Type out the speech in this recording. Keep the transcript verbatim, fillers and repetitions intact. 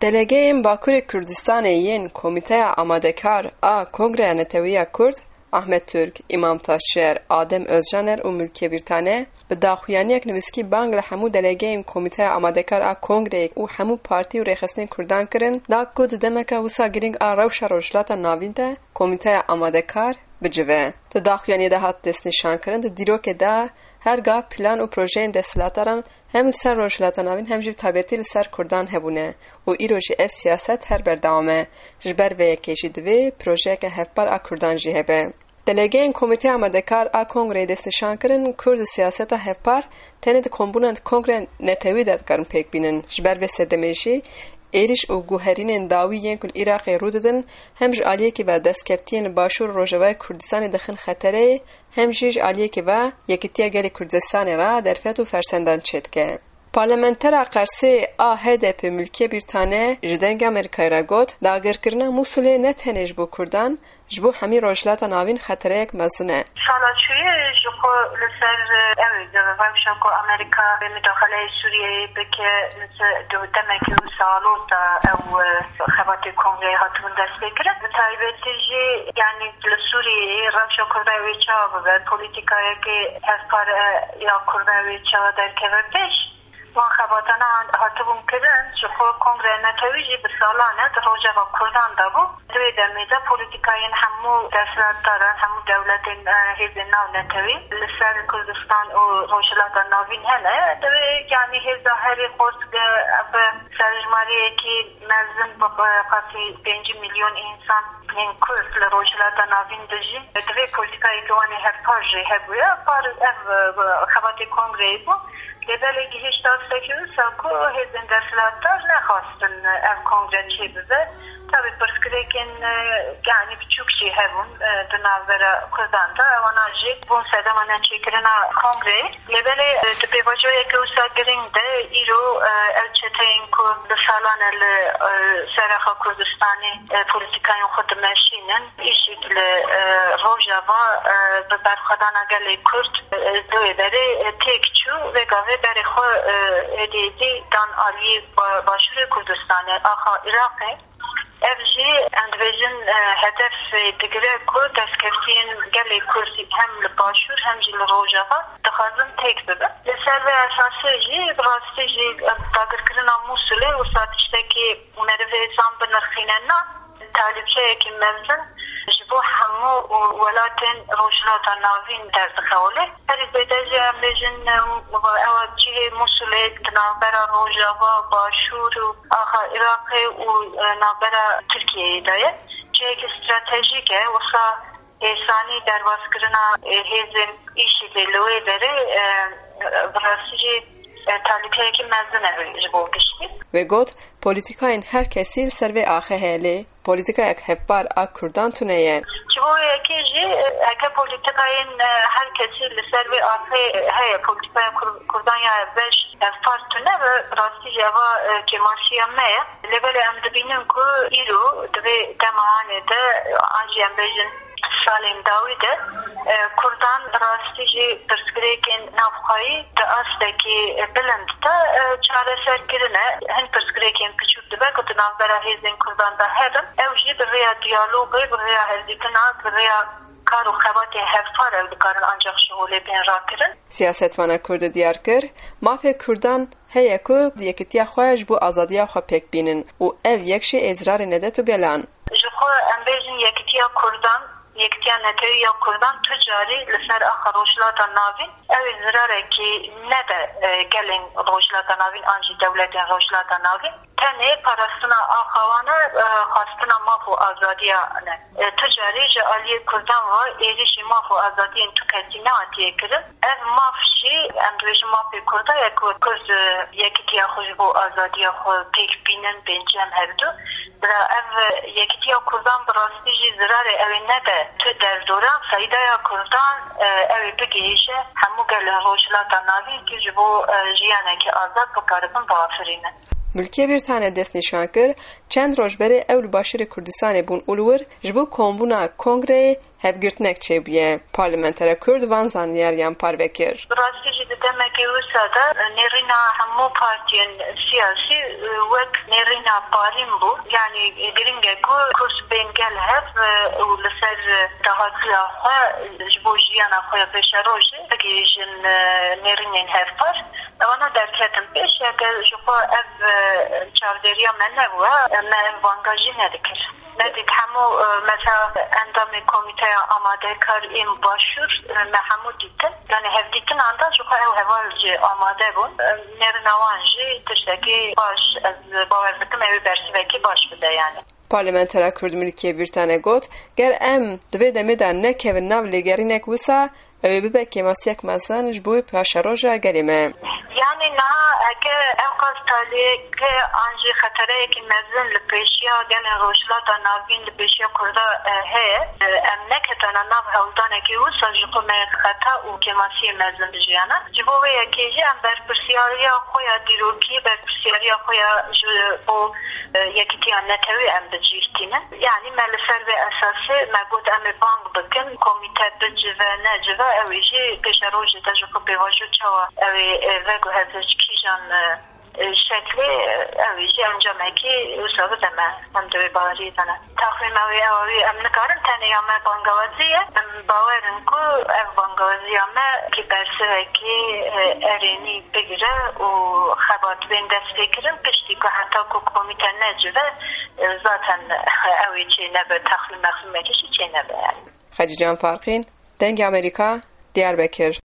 Delegeyên Bakurê Kurdistanê yên Komîteya Amadekar a Kongreya Netewî ya Kurd, Ahmet Türk, Îmam Taşçer, Adem Özcaner û Mülkiye Birtane, bi daxuyaniyek nivîskî bang li hemû delegeyên Komîteya Amadekar a Kongreyê û hemû partî û rêxistinên Kurdan kirin, da ku di demeke wisa girîng a rewşa Rojhilata Navîn de, Komîteya Amadekar bicive. Di daxuyaniyê de hat destnîşankirin, di dîrokê de her ga plan û projeyên desthilatdaran hem li ser Rojhilata Navîn hem jî bi taybetî li ser Kurdan hebûne û îro jî ev siyaset her berdewam e. Ji ber vê yekê jî divê projeyeke hevpar a Kurdan jî hebe. Delegeyên Komîteya Amadekar a Kongreyê destnîşan kirin, Kurd û siyaseta hevpar tenê di kombûna kongreya netewî de dikarin pêk bînin. Ji ber vê sedemê jî êrîş û guherînên dawî yên ku li Iraqê rû didin, hem ji aliyekî ve destkeftiyên li Başûr û Rojavayê Kurdistanê dixin xetereyê, hem jî ji aliyekî ve Yekîtiya Gelê Kurdistanê re derfet û fersendan çêdike. Parlamentera Qersê a H D P Mülkiye Birtane ji Dengê Amerîkayê re got, dagirkirina Mûsilê ne tenê ji bo Kurdan, ji bo hemî Rojhilata Navîn xetereyek mezin e. Sala çûyê ji xwe li ser, ew, rewşa ku Amerîka mudaxaleyê Sûriyeyê bike, li ser demekî wisa alozî da ew, e, xebatê kongreyê hatibûn destpêkirin. Bi taybetî jî, yanî li Sûriyeyê rewşa Kurda wê çawa bibe, polîtîkayeke hevpar, e, ya Kurda wê çawa derkeve pêş. Van xebatana hatibûn kirin, ji xwe Kongreya Netewî jî bi salan e di rojeva Kurdan de bû. Di wê demê de polîtîkayên hemû desthilatdaran, hemû dewletên, e, hêzên navnetewî li ser Kurdistan û Rojhilata Navîn hene. Divê, yanî hêza herî xurt, e, bi serjimariyekî mezin bi, bi qasî pêncî milyon însan yên Kurd li Rojhilata Navîn dijîn. Divê polîtîkayeke wan ê hevpar jî hebûya. Par ev, e, xebatê kongreyê bû. Lê belê gihîşt astekî wisa ku hêzên desthilatdar nexwastin ev kongre çêbibe. Tabî pirsgirêkên, e, yanî biçûk jî hebûn, e, di navbera Kurdan de. Ewana jî bûn sedema neçêkirina kongreyê. Lê belê, e, di pêvajoyeke wisa girîng de îro, e, ew çeteyên ku bi salan e li, e, Serêxa Kurdistanê, e, polîtîkayên xwe dimeşînin, îşîk li, e, Rojava, e, bi berxwedana gelê Kurd, e, di wê derê, e, têk çû, vê gavê berê xwe, e, êdî êdî dan aliyê ba-, Başûrê Kurdistanê, axa Iraqê. Ev jî, em dibêjin, e, hedef, e, digire ku destkeftiyên gelê Kurd hem li Başûr hem jî li Rojava dixwazin têk bibin. Li ser vê esasê jî, bi rastî jî, e, dagirkirina Mûsilê wisa tiştekî merivê zan binirxîne na, talîbçeyekî mezin ji bo hemû welatên Rojhilata Navîn derdixewile. Herî zêde jî em bêjin, ew cihê Mûsilê di navbera Rojava, Başûr û axa Iraqê û, e, navbera Tirkiyeyê de ye. Cihekî stratejîk e, wisa hêsanî derbazkirina, e, hêzên îşîdê li wê derê, e, bi rastî jî, e, talîbeyekî mezin e ji bo giştî. Wê got, polîtîkayên her kesî li ser vê axê heye, lê polîtîkayek hevpar a Kurdan tune ye. Ji bo yekê jî, e, heke polîtîkayên, e, her kesî li ser vê axê heye, polîtîkaya Kur-, Kurdan ya beş hevpar tune be, bi rastî jî eva, e, kêmasiya me ye. Lê belê em dibînin ku îro di vê dema anê de, an jî em bêjin salên dawî de, e, Kurdan bi rastî jî pirsgirêkên navxweyî di astekî bilind de, e, çareser kirine. Hin pirsgirêkên piçûk dibe ku di navbera hêzên Kurdan de hebin. Ew jî bi rêya diyalogê, bi rêya hevdîtina, bi rêya kar û xebatên hevpar ew dikarin ancaq ji holê bên rakirin. Siyasetvana Kurd diyar kir, mafê Kurdan heye ku yekitiya xwe ji bo azadiya xwe pêk bînin û ev yek jî ê zirarê nedet û gelan. Ji xwe em bêjin yekitiya Kurdan, yekitiya netewî ya Kurdan tu carî li ser axa Rojhilata Navîn ew ê zirarekî nede, e, gelên Rojhilata Navîn an jî dewletên Rojhilata Navîn. Tenê parastina axa wan e, e, xwastina maf û azadiya ne. E, tu carî ji aliyê Kurdan ve êrîşî maf û azadiyên tu kesî nehatiye kirin. Ev maf jî, em dibêjin mafê Kurda ye ku Kurd, e, yekitiya xwe ji bo azadiya xwe pêk bînin, bên cem hevdu. Bila ev, e, yekitiya Kurdan bi rastî jî zirarê ew ê nede tu derdoran, feydaya Kurdan, e, ew ê bigihîje hemû gelên Rojhilata Navîn ku ji bo, e, jiyanekî azad bikaribin biafirînin. Mülkiye Birtane destnîşan kir, çend roj berê ew li Başûrê Kurdistanê bûn û li wir ji bo kombûna kongreyê hevgirtinek çêbûye. Parlamentera Kurd van zanyariyan parve kir. Bi rastî jî di demekê wisa de nêrîna hemû partiyên siyasî wek nêrîna parîn bû. Yanî giring e ku Kurd bên gel hev û li ser dahatiya xwe ji bo jiyana xwe ya pêşerojê bigihîjin nêrînên hevpar. Ewana derketin pêş, heke ji xwe ev çavdêriya me nebû, me ev banga jî nedikir. Nedît hemû, e, mesela endamê komîteya amadekar ên başûr, e, me hemû dîtin. Yani hevdîtinan de ji xwe ew heval jî amade bûn. E, nêrîna wan jî tiştekî baş, ez bawer dikim ew ê bersivekî baş bide yani. Parlamentera Kurd Milkê Bîrtane got, ger em di vê demê de nekevin nav lêgerînek wisa, ew ê bibe kêmasiyek mezin ji bo paşeroja gelê me. Yanî niha heke ew qas taliyeke an jî xetereyekî mezin li pêşiya gelên Rojhilata Navîn, li pêşiya Kurda, e, heye, e, em neketana nav hewldanekê wisa ji xwe me xeta û kêmasiyê mezin bijiyana. Ji bo vê yekê jî em berpirsiyariya xwe ya dîrokî, berpirsiyariya xwe ya ji bo, e, yekîtiya netewî em bi cih tînin. Yanî me li ser vê esasê me got em ê bang bikin, komîte bicive, necive, ew ê jî pêşerojê de ji xwe pêvajo çawa ew ê, e, veguheze ji kîjan, e, e, şeklê, e, ew ê jî encamekî wisa bide me. Em di wê baweriyê de ne. Taxmîna wê ew e, wî em nikarin tenê ya me bangawazî ye. Em bawer in ku ev bangawaziya me ki bersivekî, e, erênî bigire û xebat bên dest pê kirin, piştî ku heta ku komîte necive, e, zaten ew ê çê nebe, texmîn mexmînekî jî çê nebe yani. Xecîcan Farqîn, Dengê Amerîka, Diyarbekir.